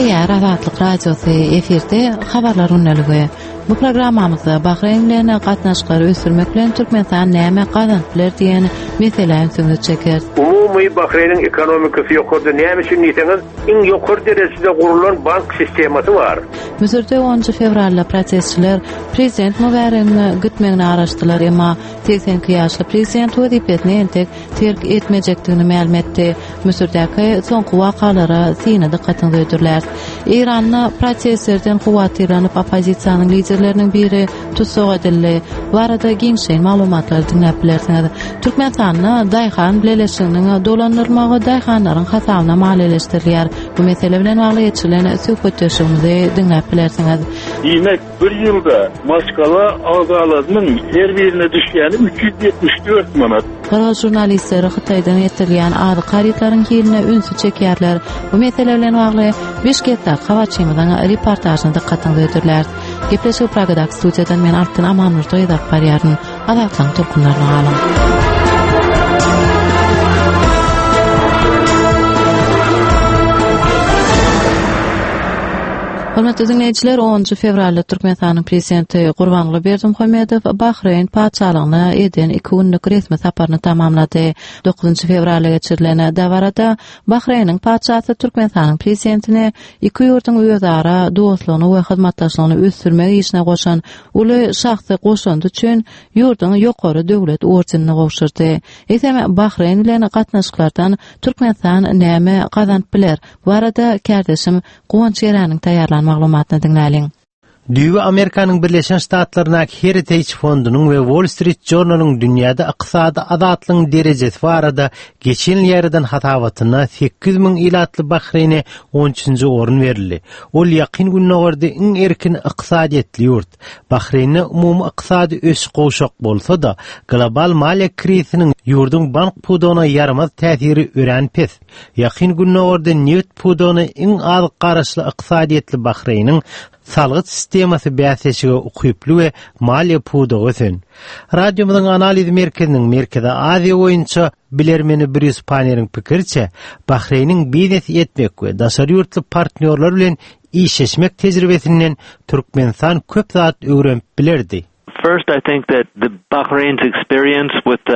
Gepleýär Azatlyk Radiosy, efirde Habarlar gündeligi. Bu programmamyzda Bahreýn bilen gatnaşyklary ösdürmek bilen Türkmenistan näme gazanyp biler diýen meselä ünsüňizi çekeris. Umumy Bahreýniň ekonomikasy ýokarda näme üçin diýseňiz, iň ýokary derejede gurulan bank sistemasy bar. Müsürde onunjy fewralda protestçiler prezident Mubaregiň gitmegine garaşdylar, emma 82 ýaşly prezident wezipesini entek terk etmejekdigini mälim etdi. Müsürdäki soňky wakalara syny dykgatyňyza hödürläris. Eýranda protestlerden howatyrlanyp oppozisiýanyň liderleriniň biri tussag edildi. Bu barada giňişleýin maglumatlary diňläp bilersiňiz. Türkmenistanda daýhan bileleşiginiň dolandyrylmagy daýhanlaryň hasabyna maliýeleşdirilýär. Bu mesele bilen bagly geçirilen söhbetdeşligimizi diňläp bilersiňiz. Diýmek, bir ýylda maşgala agzalarynyň her birine düşýäni 374 manat. Gyrgyz žurnalistleri Hytaýdan getirilýän azyk harytlaryň hiline ünsi çekýärler. Bu mesele bilen bagly Bişkekdäki habarçymyzyň reportažyny dykgatyňyza hödürläris. Gepleşigi Pragadaky studiýadan men Altyn Amanmurdyýewa alyp barýaryn. Azatlygyň tolkunlaryna galyň. Hormatly diňleýjiler, 10-njy fewralda Türkmenistanyň Prezidenti Gurbanguly Berdimuhamedow Bahreýn Patyşalygyna eden iki günlük resmi saparyny tamamlady. 9-njy fewralda geçirilen dabarada Bahreýniň Patyşasy Türkmenistanyň Prezidentine iki ýurduň özara dostlugyny we hyzmatdaşlygyny ösdürmek işine goşan uly şahsy goşandy üçin ýurduň ýokary döwlet ordenini gowşurdy. Eýsem, Bahreýn bilen gatnaşyklardan Türkmenistan näme gazanyp biler? Bu barada kärdeşim Guwanç Geräniň taýýarlan maglumatyny diňläliň. Düýbi Amerikanyň Birleşen Ştatlaryndaky Heritage fondunyň we Wall Street Journal-yň dünýäde ykdysady azatlygyň derejesi barada geçen ýyl ýaýradan hasabatynda 800 ilatly Bahreýne on üçünji orun berildi. Ol Ýakyn Gündogarda iň erkin ykdysadyýetli ýurt. Bahreýnde umumy ykdysady ösüş gowşak bolsa-da, global maliýe krizisiniň ýurduň bank pudagyna ýaramaz täsiri örän pes. Ýakyn Gündogarda nebit pudagyna iň az garaşly ykdysadyýetli Bahreýniň salgyt sistemasy bäsleşige ukyply we maliýe pudagy ösen. Radiomyzyň analiz merkeziniň Merkezi Aziýa boýunça bilermeni Brýus Paneriň pikiriçe, Bahreýniň biznes etmek we daşary ýurtly partnýorlar bilen işleşmek tejribesinden Türkmenistan köp zat öwrenip bilerdi. First I think that the Bahrain's experience with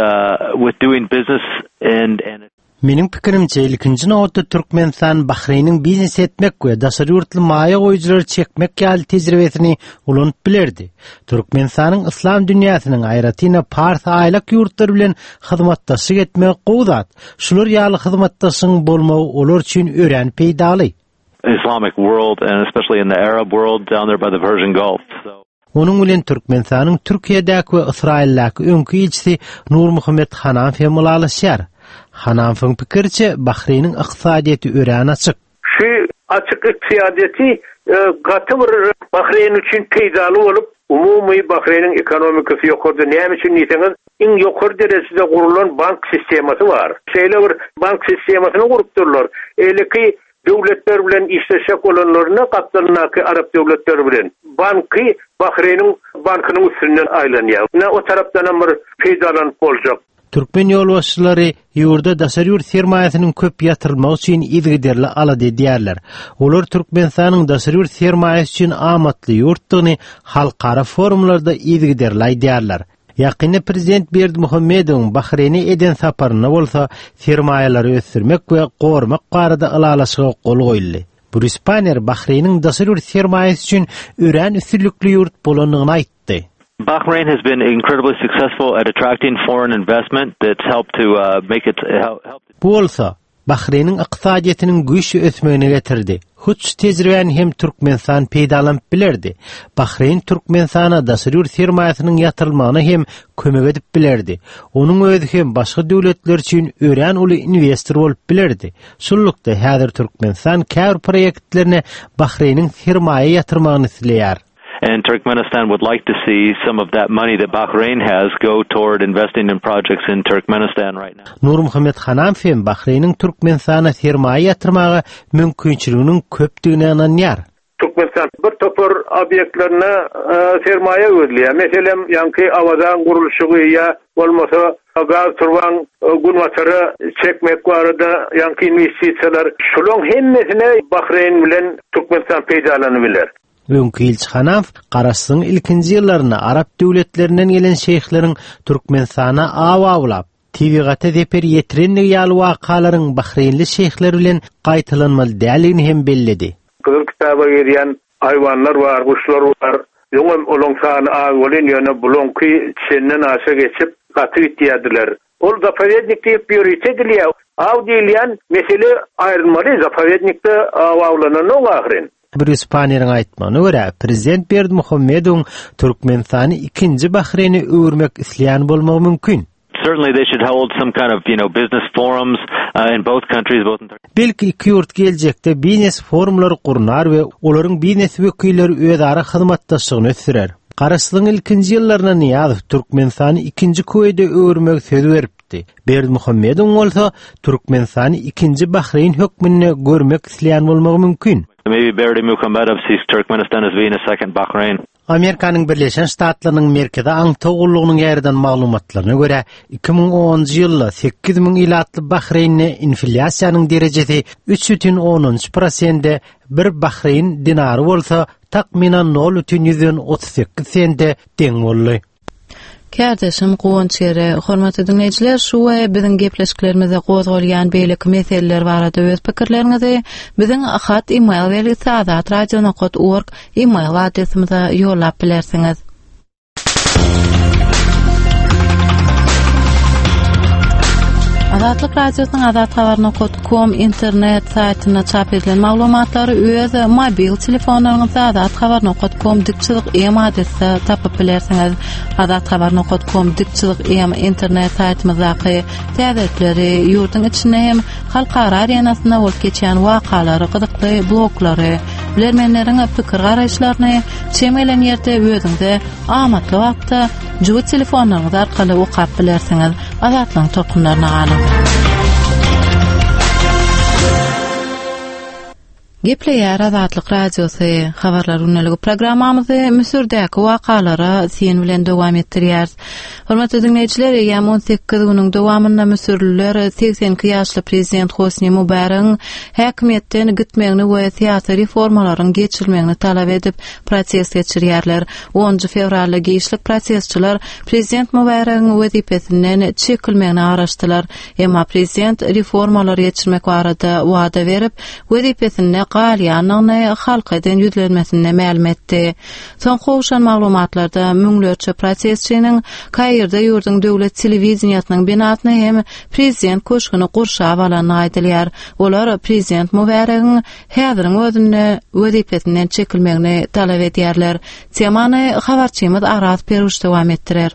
with doing business and and Meniň pikirimçe, ilkinji nobatda Türkmenistan Bahreýniň biznes etmek we daşary ýurtly maýa goýujylary çekmek ýaly tejribesini ulanyp bilerdi. Türkmenistanyň yslam dünýäsiniň, aýratyn-da Pars aýlak ýurtlary bilen hyzmatdaşlyk etmegi gowy zat. Şular ýaly hyzmatdaşlygyň bolmagy olar üçin örän peýdaly. Islamic world and especially in the Arab world down there by the Persian Gulf. Onuň bilen Türkmenistanyň Türkiýedäki we Ysraýyldaky öňki ilçisi Nurmuhammet Hanamow hem ylalaşýar. Hanamowyň pikiriçe, Bahreýniň ykdysadyýeti örän açyk. Şu açyk ykdysadyýeti gaty bir Bahreýn üçin peýdaly bolup, umumy Bahreýniň ekonomikasy ýokarda näme üçin diýseňiz, iň ýokary derejede gurulan bank sistemasy bar. Şeýle bir bank sistemasyny gurupdyrlar. Eýleki Döwletler bilen işleşjek bolanlarynda gapdalyndaky arap döwletleri bilen banky Bahreýniň bankynyň üstünden aýlanýar. Ine o tarapdanam bir peýdalanyp boljak. Türkmen ýolbaşçylary ýurda daşary ýurt sermaýasynyň köp ýatyrylmagy üçin yzygiderli alada edýärler. Olar Türkmenistanyň daşary ýurt sermaýasy üçin amatly ýurtdugyny halkara forumlarda yzygiderli aýdýarlar. Ýakynda prezident Berdimuhamedowyň Bahreýne eden saparynda bolsa sermaýalary ösdürmek we goramak barada ylalaşyga gol goýuldy. Brýus Panner Bahreýniň daşary ýurt sermaýasy üçin örän üstünlikli ýurt bolandygyny aýtdy. Bahrain has been incredibly successful at attracting foreign investment that's helped to make it help. Bu bolsa, Bahreýniň ykdysadyýetiniň güýçli ösmegine getirdi. Hut şu tejribäni hem Türkmenistan peýdalanyp bilerdi. Bahreýn Türkmenistana daşary ýurt sermaýasynyň ýatyrylmagyna hem kömek edip bilerdi. Onuň özi hem başga döwletler üçin örän uly inwestor bolup bilerdi. Şunlukda, häzir Türkmenistan käbir proýektlerine Bahreýniň sermaýa ýatyrmagyny isleýär. And Turkmenistan would like to see some of that money that Bahrain has go toward investing in projects in Turkmenistan right now. Nurmuhammet Hanamow hem Bahreýniň Türkmenistana sermaýa ýatyrmaga mümkinçiliginiň köpdügine ynanýar. Türkmenistan bir topar obýektlerine sermaýa gözleýär. Meselem, ýaňky Awazaň gurluşygy ýa bolmasa. Gaz turbaň günbatara çekmek barada ýaňky inwestisiýalar, şulaň hemmesine Bahreýn bilen Türkmenistan peýdalanyp biler. Öňki ilçi Hanaw Garaşsyzlygyň ilkinji ýyllarynda arap döwletlerinden gelen şeýhleriň Türkmenistana aw awlap, tebigata zeper ýetirendigi ýaly wakalaryň bahreýnli şeýhler bilen gaýtalanmaly däldigini hem belledi. Gyzyl kitaba girýän haýwanlar bar, guşlar bar. Öňem olaň sany az welin, ýöne bulaňky çenden aşa geçip, gaty gitýärdiler. Ol zapowednik diýip ýörite edilýär. Aw diýilýän mesele aýrylmaly, zapowednikde aw awlananok ahyryn. Brýus Paneriň aýtmagyna görä, prezident Berdimuhamedowyň Türkmenistany ikinji Bahreýne öwürmek isleýän bolmagy mümkin. Certainly they should hold some kind of, you know, business forums uh, in both countries, both in Belki iki ýurt geljekde biznes forumlary gurnar we olaryň biznes wekilleri özara hyzmatdaşlygyny ösdürer. Garaşsyzlygyň ilkinji ýyllarynda Nyýazow Türkmenistany ikinji Kuweýde öwürmegi söz beripdi. Berdimuhamedowyň bolsa Türkmenistany ikinji Bahreýn hökmünde görmek isleýän bolmagy mümkin. Maybe Berdimuhamedow sees Turkmenistan as being a second Bahrain. Amerikanyň Birleşen Ştatlarynyň Merkezi aňtaw gullugynyň ýaýradan maglumatlaryna görä, 2010-njy ýylda 8000 ilatly Bahreýnde inflýasiýanyň derejesi 3,3 prosende, bir bahreýn dinary bolsa takmynan 0,38 sende deň boldy. Kärdeşim Guwanç Gere, hormatly diňleýjiler, şu we biziň gepleşiklerimizde gozgalýan beýleki meseleler barada öz pikirleriňizi biziň hat e-mail belgisi azatradio.org e-mail adresimize ýollap bilersiňiz. Azatlyk Radiosynyň azathabar.com internet saýtynda çap edilen maglumatlary öz mobil telefonlaryňyzda azathabar.com dik çyzyk m adresde tapyp bilersiňiz. Azathabar.com dik çyzyk m internet saýtymyzdaky täzelikleri, ýurduň içinde hem halkara arenasynda bolup geçýän wakalary, gyzykly bloglary, bilermenleriň pikir-garaýyşlaryny çem gelen ýerde özüňize amatly wagtda jübi telefonlaryňyz arkaly okap bilersiňiz. Azatlygyň tolkunlaryna galyň. Gepleýär Azatlyk Radiosy, Habarlar gündeligi programmamyzy Müsürdäki wakalara syn bilen dowam etdirýäris. Hormatly diňleýjiler, eýýäm 18 günüň dowamynda müsürliler 82 ýaşly prezident Hosni Mubaregiň häkimiýetden gitmegini we syýasy reformalaryň geçirilmegini talap edip, protest geçirýärler. Onunjy fewralda giçlik protestçiler prezident Mubaregiň wezipesinden çekilmegine garaşdylar. Emma prezident reformalary geçirmek barada wada berip, wezipesinde galýandygyny halka eden ýüzlenmesinde mälim etdi. Soňky gowşan maglumatlarda müňlerçe protestçiniň Kairde ýurduň döwlet telewideniýesiniň binasyny hem prezident köşgüni gurşap alandygy aýdylýar. Olar prezident Mubaregiň häziriň özünde wezipesinden çekilmegini talap edýärler. Temany habarçymyz Araz Peruş dowam etdirer.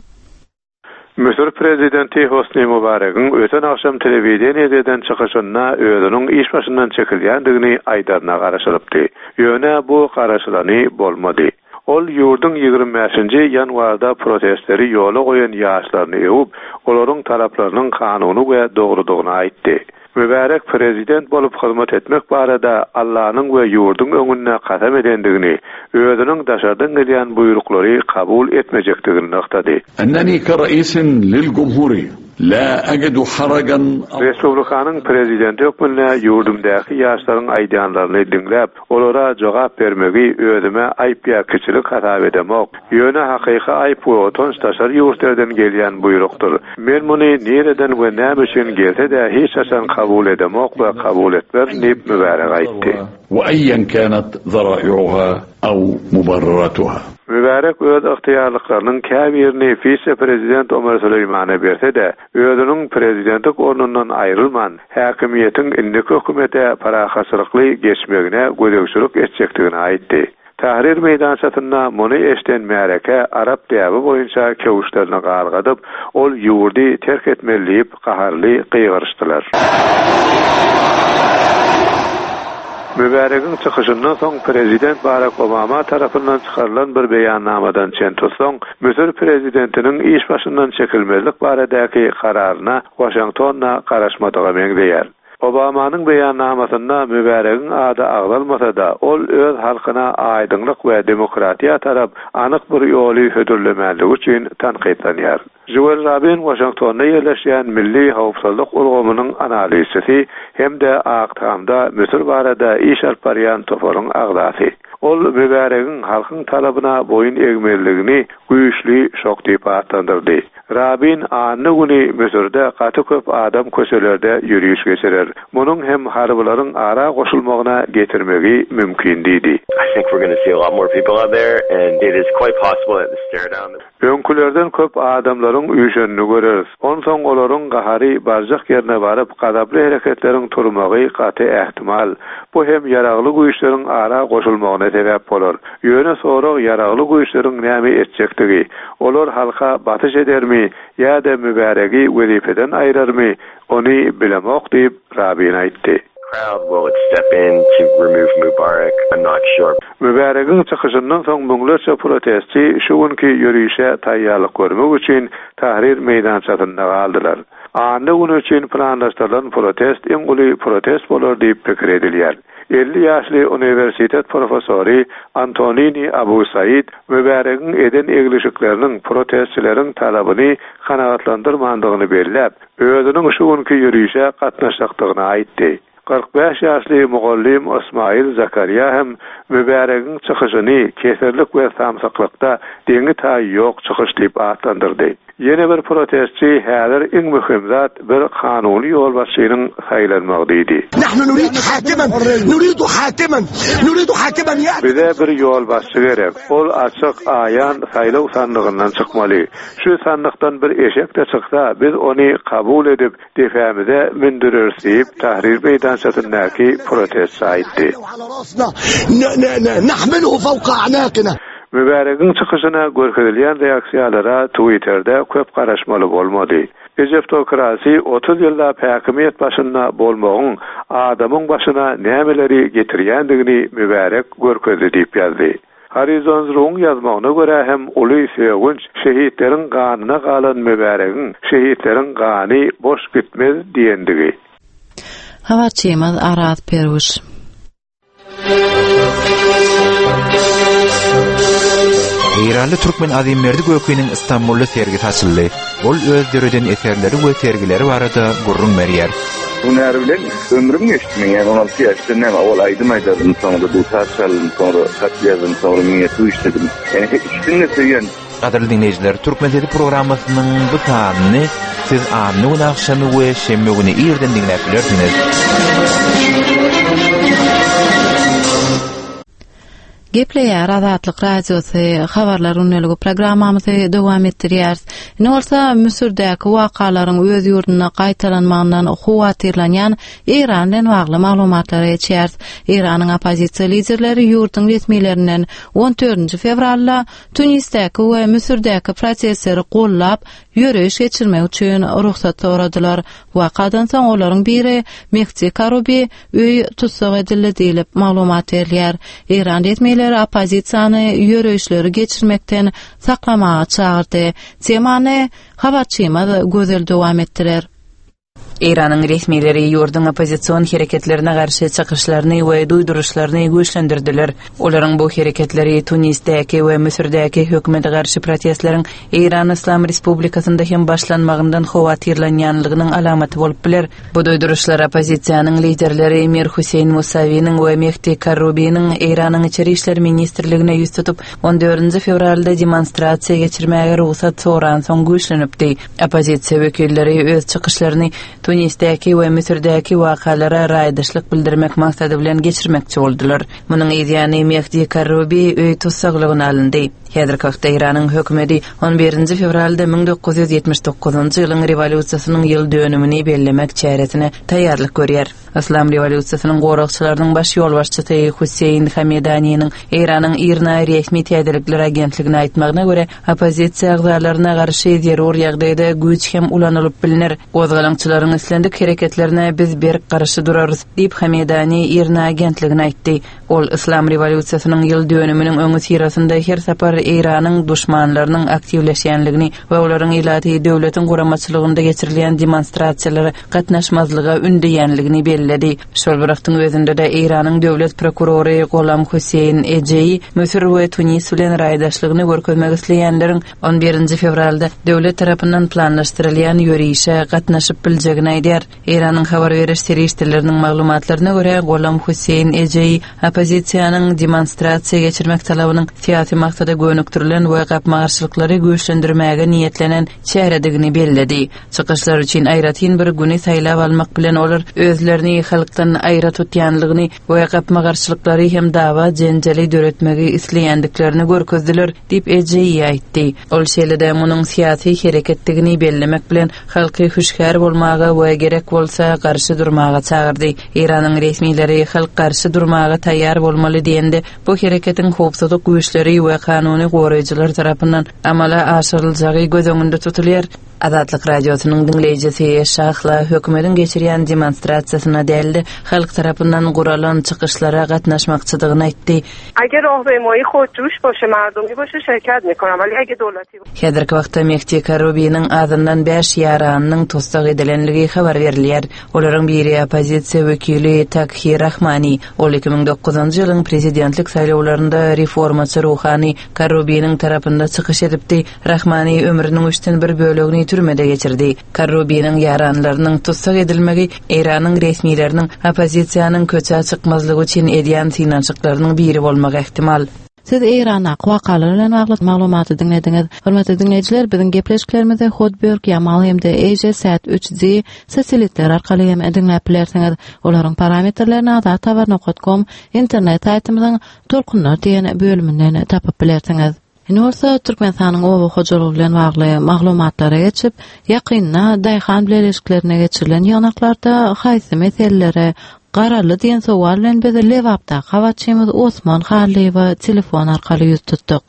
Müsür prezidenti Hosni Mubaregiň öten agşam telewideniýede eden çykyşynda özüniň iş başyndan çekilýändigini aýdaryna garaşylypdy. Ýöne bu garaşylany bolmady. Ol ýurduň 25-nji ýanwarda protestleri ýola goýan ýaşlaryny öwüp, olaryň talaplarynyň kanuny we dogrudygyny aýtdy. Mübärek prezident bolup hyzmat etmek barada Allanyň we ýurduň öňünde kasam edendigini, özüniň daşardan gelýän buýruklary kabul etmejekdigini nygtady. Enneni ke-raisin lil-jumhuriýe la ajidu harajan. Respublikanyň prezidenti hökmünde ýurdumdaky ýaşlaryň aýdýanlaryny diňläp, Olara jogap bermegi özüme aýp ýa kiçilik hasap edemok. Ýöne hakyky aýp we utanç daşary ýurtlerden gelýän buýrukdyr. Men muny nireden we näme üçin gelse-de hiç haçan kabul edemok we kabul etmerin diýip Mübärek aýtdy. We eýen kanat zara'i'uha aw mubarraratuha. Mübärek öz ygtyýarlyklarynyň käbirini wise-prezident Omer Süleýmana berse-de, özüniň prezidentlik ornundan aýrylman, häkimiýetiň indiki hökümete parahatçylykly geçmegine gözegçilik etjekdigini aýtdy. Tahrir meýdançasynda muny eşiden märeke arap däbi boýunça köwüşlerini galgadyp, ol ýurdy terk etmeli diýip gaharly gygyryşdylar. Mübäregiň çykyşyndan soň prezident Barak Obama tarapyndan çykarylan bir beýannamadan çen tutsaň, Müsür prezidentiniň iş başyndan çekilmezlik baradaky kararyna Waşington-da garaşmadyga meňzeýär. Obamanyň beýannamasynda Mübäregiň ady agzalmasa-da, ol öz halkyna aýdyňlyk we demokratiýa tarap anyk bir ýoly hödürlemänligi üçin tankytlanýar. Žuel Rabin Waşingtonda ýerleşýän Milli howpsuzlyk ulgamynyň analizçisi hem-de Ak Tamda Müsür barada iş alyp barýan toparyň agzasy. Ol Mübäregiň halkyň talabyna boýun egmezligini güýçli şok diýip atlandyrdy. Rabin anna güni Müsürde gaty köp adam köçelerde ýöriş geçirer. Munuň hem harbylaryň ara goşulmagyna getirmegi mümkin diýdi. Öňkülerden köp adamlaryň üýşenini göreris. Onsoň olaryň gahary barjak ýerine baryp, gazaply hereketleriň turmagy gaty ähtimal. Bu hem ýaragly güýçleriň ara goşulmagyna sebäp bolar. Ýöne sorag ýaragly güýçleriň näme etjekdigi. Olar halka basyş edermi ýa-da Mübäregi wezipeden aýrarmy, ony bilemok diýip, Rabin aýtdy. Mübäregiň çykyşyndan soň müňlerçe protestçi şu günki ýörişe taýýarlyk görmek üçin Tahrir meýdançasynda galdylar. Anna güni üçin planlaşdyrylan protest iň uly protest bolar diýip pikir edilýär. 50 ýaşly uniwersitet professory Antonini Abu Said Mübäregiň eden eglişikleriniň protestçileriň talabyny kanagatlandyrmandygyny belläp, özüniň şu günki ýörişe gatnaşjakdygyny aýtdy. 45 ýaşly mugallym Ysmaýyl Zakarýa hem Mübäregiň çykyşyny keserlik we samsyklykda deňi-taýy ýok çykyş diýip atlandyrdy. Ýene bir protestçi häzir iň möhüm zat bir kanuny ýolbaşçynyň saýlanmagy diýdi. Bize bir ýolbaşçy gerek. Ol açyk, aýan saýlaw sandygyndan çykmaly. Şu sandykdan bir eşek-de çyksa, biz ony kabul edip, depämize mündüreris diýip, Tahrir meýdançasyndaky protestçi aýtdy. Mübäregiň çykyşyna görkezilýän reaksiýalara Twitterde köp garaşmaly bolmady. Ejeptokrasi 30 ýyllap häkimiýet başynda bolmagyň adamyň başyna nämeleri getirýändigini Mübärek görkezdi diýip ýazdy. Horizons.ru-yň ýazmagyna görä hem uly sögünç şehitleriň ganyna galan Mübäregiň şehitleriň gany boş gitmez diýendigi. Habarçymyz Araz Perwiş. Eýranly türkmen Azimberdi Gökiniň Istanbulda sergisi açyldy. Ol öz döreden eserleri we sergileri barada gürrüň berýär. Hünär bilen ömrüm geçdi meň, ýagny 16 ýaşdan näme, owal aýdym aýdardym, soňra dutar çaldym, soňra hat ýazdym, soňra miniatýur işledim. Ýagny ikisini-de söýýän. Gadyrly diňleýjiler, Türkmen sesi programmasynyň bu sanyny siz anna güni agşamy we şenbe güni irden diňläp bilersiňiz. Gepleýär Azatlyk Radiosy habarlar gündeligi programmamyzy dowam etdirýäris. Indi bolsa Müsürdäki wakalaryň öz ýurdunda gaýtalanmagyndan howatyrlanýan Eýran bilen bagly maglumatlara geçýäris. Eýranyň oppozisiýa liderleri ýurduň resmilerinden 14 fewralda Tunisdäki we Müsürdäki protestleri gollap, ýöreýiş geçirmek üçin rugsat soradylar. Wakadan soň olaryň biri Mehdi Karubi öý tussag edildi diýlip, maglumat berilýär. Eýran resmileri oppozisiýany ýöreýişleri geçirmekden saklamaga çagyrdy. Temany habarçymyz Gözel dowam etdirer. Eýranyň resmileri ýurduň oppozision hereketlerine garşy çykyşlaryny we duýduryşlaryny güýçlendirdiler. Olaryň bu hereketleri Tunisdäki we Müsürdäki hökümete garşy protestleriň Eýran Yslam Respublikasynda hem başlanmagyndan howatyrlanýanlygynyň alamaty bolup biler. Bu duýduryşlar oppozisiýanyň liderleri Mir Hüseýin Musawiniň we Mehdi Karrubiniň Eýranyň Içeri işler ministrligine ýüz tutup, on dördünji fewralda demonstrasiýa geçirmäge rugsat soransoň güýçlenipdi. Oppozisiýa wekilleri öz çykyşlaryny Tunisdäki we Müsürdäki wakalara raýdaşlyk bildirmek maksady bilen geçirmekçi boldular. Munuň yzýany Mehdi Karrubi öý tussaglygyna alyndy. Häzirki wagtda Eýranyň hökümeti on birinji fewralda 1979-njy ýylyň rewolýusiýasynyň ýyl dönümini bellemek çäresine taýýarlyk görýär. Yslam rewolýusiýasynyň goragçylarynyň baş ýolbaşçysy Hüseýin Hamedaniniň Eýranyň IRNA resmi täzelikler agentligine aýtmagyna görä, oppozisiýa agzalaryna garşy zerur ýagdaýda güýç hem ulanylyp bilner. Gozgalaňçylaryň islendik hereketlerine biz berk garşy durarys, diýip, Hamedani IRNA agentligine aýtdy. Ol Yslam rewolýusiýasynyň ýyl dönüminiň öňüsyrasynda her sapar Eýranyň duşmanlarynyň aktiwleşýänligini we olaryň ilaty döwletiň guramaçylygynda geçirilýän demonstrasiýalara gatnaşmazlyga ündeýänligini belledi. Şol bir wagtyň özünde-de Eýranyň döwlet prokurory Golam Hüseýin Ejeýi Müsür we Tunis bilen raýdaşlygyny görkezmek isleýänleriň on birinji fewralda döwlet tarapyndan planlaşdyrylýan ýörişe gatnaşyp biljegini aýdýar. Eýranyň habar beriş serişdeleriniň maglumatlaryna görä, Golam Hüseýin Ejeýi oppozisiýanyň demonstrasiýa geçirmek talabynyň syýasy maksada gönükdirilen we gapma-garşylyklary güýçlendirmäge niýetlenen çäredigini belledi. Çykyşlar üçin aýratyn bir güni saýlap almak bilen olar özlerini halkdan aýra tutýanlygyny we gapma-garşylyklary hem dawa-jenjeli döretmegi isleýändiklerini görkezdiler diýip, Ejeýi aýtdy. Ol şeýle-de munuň syýasy hereketdigini bellemek bilen, halky hüşgär bolmaga we gerek bolsa garşy durmaga çagyrdy. Eýranyň resmileri halk garşy durmaga taýýar bolmaly diýende, bu hereketiň howpsuzlyk güýçleri we kanuny goraýjylar tarapyndan amala aşyryljagy göz öňünde tutulýar. Azatlyk Radiosynyň diňleýjisi Şahla hökümetiň geçirýän demonstrasiýasyna däl-de, halk tarapyndan guralan çykyşlara gatnaşmakçydygyny aýtdy. اگه راهپیمایی خودجوش باشه مردمی باشه شرکت میکنم ولی اگه دولتی Häzirki wagtda Mehdi Karrubiniň azyndan bäş ýaranynyň tussag edilenligi habar berilýär. Olaryň biri oppozisiýa wekili Takhi Rahmani. Ol 2009-njy ýylyň prezidentlik saýlawlarynda reformaçy ruhany Karrubiniň tarapynda çykyş edipdi. Rahmani ömrüniň üçden bir bölegini türmede geçirdi. Karrubiniň ýaranlarynyň tussag edilmegi Eýranyň resmileriniň oppozisiýanyň köçä çykmazlygy üçin edýän synanyşyklarynyň biri bolmagy ähtimal. Siz Eýrandaky wakalar bilen bagly maglumaty diňlediňiz. Hormatly diňleýjiler, biziň gepleşiklerimizi Hotbird, Yamal hem-de AsiaSat 3D satelitleri arkaly hem diňläp bilersiňiz. Olaryň parametrlerini azathabar nokat kom internet saýtymyzyň Tolkunlar diýen bölüminden tapyp bilersiňiz. Indi bolsa Türkmenistanyň oba hojalygy bilen bagly maglumatlara geçip, ýakynda daýhan bileleşiklerinde geçirilen ýygnaklarda haýsy meselelere garaldy diýen sowal bilen biz Lebapdaky habarçymyz Osman Hallyýewe telefon arkaly ýüz tutduk.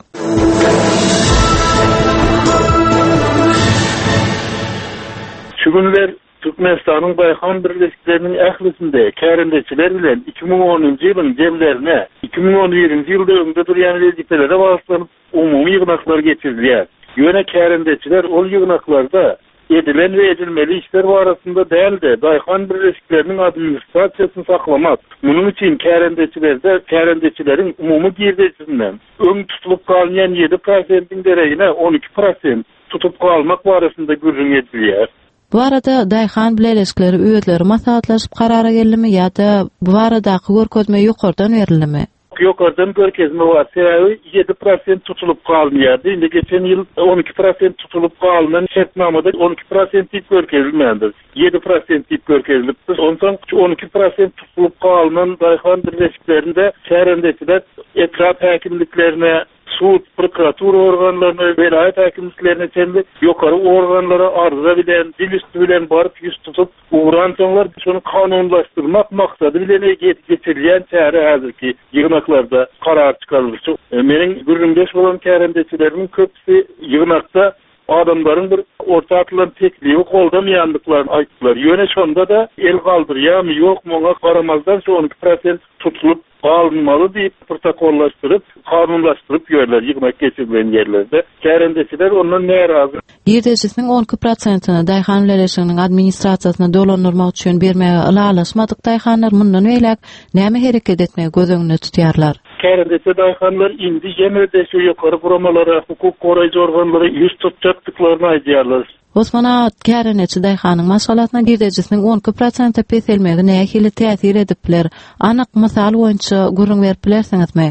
Şu günler Türkmenistanyň daýhan birleşikleriniň ählisinde kärendeçiler bilen 2010-njy ýylyň jemlerine, 2011-nji ýylda öňde durýan wezipelere bagyşlanyp umumy ýygnaklar geçirilýär. Ýöne kärendeçiler ol ýygnaklarda edilen we edilmeli işler barasynda däl-de, daýhan birleşikleriniň administrasiýasyny saklamak, munuň üçin kärendeçilerde kärendeçileriň umumy girdejisinden öň tutulyp galynýan ýedi prosentiň deregine 12 prosent tutup galmak barasynda gürrüň edilýär. Bu barada daýhan bileleşikleri özleri maslahatlaşyp karara geldimi ýa-da bu baradaky görkezme ýokardan berildimi? Ýokardan görkezme bar. Sebäbi ýedi prosent tutulyp galynýardy. Indi geçen ýyl 12 prosent tutulyp galynan şertnamada 12 prosent diýip görkezilmändir. Ýedi prosent diýip görkezilipdir. Onsoň şu 12 prosent tutulyp galynan daýhan birleşiklerinde kärendeçiler etrap häkimliklerine, sud, prokuratura organlaryna, welaýat häkimliklerine çenli ýokary organlara arza bilen, dil üsti bilen baryp ýüz tutup ugransoňlar, şony kanunlaşdyrmak maksady bilen geçirilýän çäre häzirki ýygnaklarda karar çykaryldy. Meniň gürrüňdeş bolan kärendeçilerimiň köpüsi ýygnakda adamlaryň bir orta atylan teklibi goldamaýandyklaryny aýtdylar. Ýöne şonda-da el galdyrýarmy, ýokmy oňa garamazdan şu 12 prosent tutulyp galynmaly diýip protokollaşdyryp, kanunlaşdyryp ýörler ýygnak geçirilen ýerlerde. Kärendeçiler ondan närazy. Girdejisiniň 12 prosentini daýhan bileleşiginiň administrasiýasyna dolandyrmak üçin bermäge ylalaşmadyk daýhanlar mundan beýläk näme hereket etmegi göz öňünde tutýarlar? Kärendeçi daýhanlar indi ýene-de şu ýokary guramalara, hukuk goraýjy organlara ýüz tutjakdyklaryny aýdýarlar. Osman aga, kärendeçi daýhanyň maşgalasyna girdejisiniň 12 prosente peselmegi nähili täsir edip biler? Anyk mysal boýunça gürrüň berip bilersiňizmi?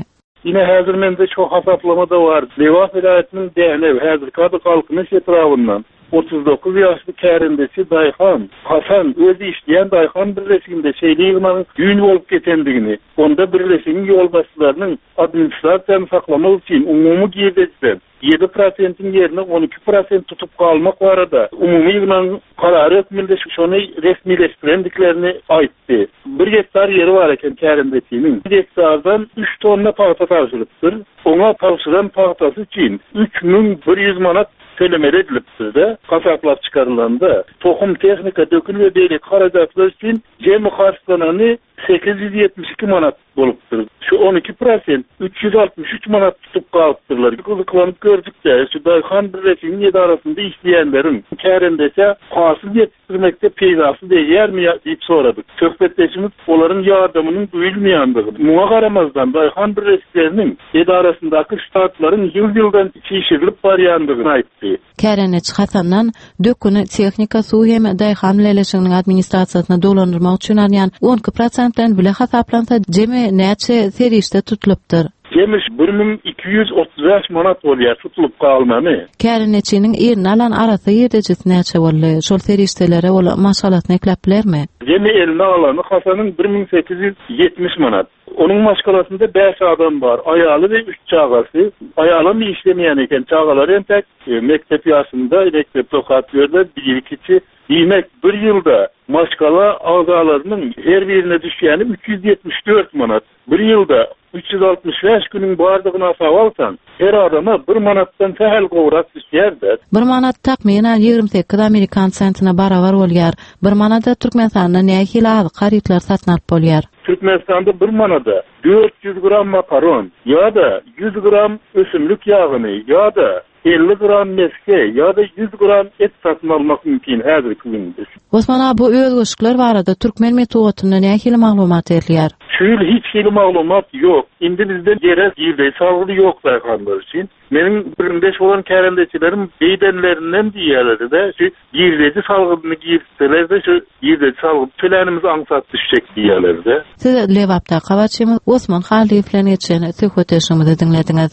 Ine, häzir mende şu hasaplama-da bar. Lebap welaýatynyň Dänew, häzirki ady Galkynyş etrabyndan. 39 ýaşly kärendeçi daýhan Hasan öz işleýän daýhan birleşiginde şeýle ýygnagyň düýn bolup geçendigini, onda birleşigiň ýolbaşçylarynyň administrasiýany saklamak üçin umumy girdejiden ýedi prosentiň ýerine 12 prosent tutup galmak barada umumy ýygnagyň karary hökmünde şony resmileşdirendiklerini aýtdy. Bir gektar ýeri bar eken kärendeçiniň. Bir gektardan üç tonna pagta tabşyrypdyr. Oňa tabşyran pagtasy üçin 3100 manat tölemeli edilipdir-de, hasaplap çykarylanda, tohum, tehnika, dökün we beýleki harajatlar üçin jemi harçlanany 872 manat bolupdyr. Şu 12 prosent 363 manat tutup galypdyrlar. Gyzyklanyp gördük-de, şu daýhan birleşiginiň edarasynda işleýänleriň kärendeçä hasyl ýetişdirmekde peýdasy degýärmi ýa diýip soradyk. Söhbetdeşimiz olaryň ýardamynyň duýulmaýandygyny, muňa garamazdan, daýhan birleşikleriniň edarasyndaky ştatlaryň ýyl-ýyldan çişirilip barýandygyny aýtdy. Kärendeçi Hasandan döküni tehnika, suw hem daýhan bileleşiginiň administrasiýasyna dolandyrmak üçin alýan 12 prosent bilen bile hasaplansa, jemi näçe serişde tutulypdyr? Jemi 1235 manat bolýar tutulyp galmany. Kärendeçiniň eline alan arassa girdejisi näçe boldy? Şol serişdelere ol maşgalasyny ekläp bilermi? Jemi eline alany Hasanyň 1870 manat. Onuň maşgalasynda bäş adam bar, aýaly we üç çagasy. Aýalam işlemeýän eken, çagalary entek mekdep ýaşynda, mekdepde okap ýörler, biri kiçi. Diýmek, bir ýylda maşgala agzalarynyň her birine düşýäni 374 manat. Bir ýylda 365 günüň bardygyny hasaba alsaň, her adama bir manatdan sähel gowrak düşýär-dä. Bir manat takmynan 28 amerikan sentine barabar bolýar. Bir manada Türkmenistanda nähili azyk harytlary satyn alyp bolýar? Türkmenistanda bir manada 400 gram makaron ýa-da 100 gram ösümlik ýagyny ýa-da 50 gram mesge ýa-da 100 gram et satyn almak mümkin häzirki günde. Osman aga, bu özgerişikler barada türkmen metbugatynda nähili maglumat berilýär? Şu ýyl hiç hili maglumat ýok. Indi bizde ýere girdeji salgydy ýok daýhanlar üçin. Meniň gürrüňdeş bolan kärendeçilerim beýdenlerinden diýýärler-de, şu girdeji salgydyny girizseler-de, şu girdeji salgydy tölänimiz aňsat düşjek diýýärler-de. Siz Lebapdaky habarçymyz Osman Hallyýew bilen geçen söhbetdeşligimizi diňlediňiz.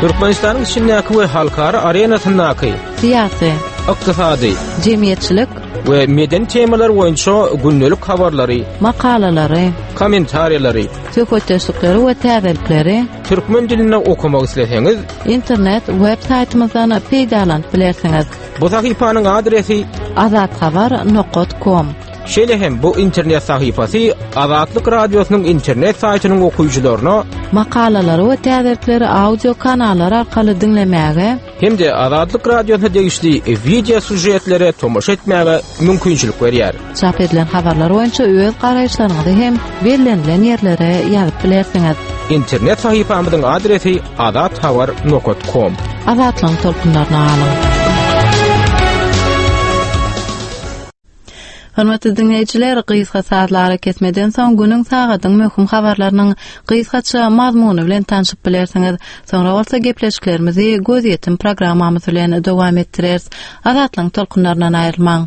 Türkmenistanyň içindäki we halkara arenasyndaky syýasy, ykdysady, jemgyýetçilik we medeni temalar boýunça gündelik habarlary, makalalary, kommentariýalary, söhbetdeşlikleri we täzelikleri türkmen dilinde okamak isleseňiz, internet web saýtymyzdan peýdalanyp bilersiňiz. Bu sahypanyň adresi azathabar.com Şeýle hem bu internet sahypasy Azatlyk Radiosynyň internet saýtynyň okyjylaryna makalalary we täzelikleri audio kanallar arkaly diňlemäge hem-de Azatlyk Radiosyna degişli wideo sýužetlere tomaşa etmäge mümkinçilik berýär. Çap edilen habarlar boýunça öz garaýyşlaryňyzy hem bellenilen ýerlere ýazyp bilersiňiz. Internet sahypamyzyň adresi azathabar.com. Azatlygyň tolkunlaryna galyň. Hormatly diňleýjiler, gysga sazly arakesmeden soň günüň sagadyň möhüm habarlarynyň gysgaça mazmuny bilen tanşyp bilersiňiz. Soňra bolsa gepleşiklerimizi Gözýetim programmamyz bilen dowam etdireris. Azatlygyň tolkunlaryndan aýrylmaň.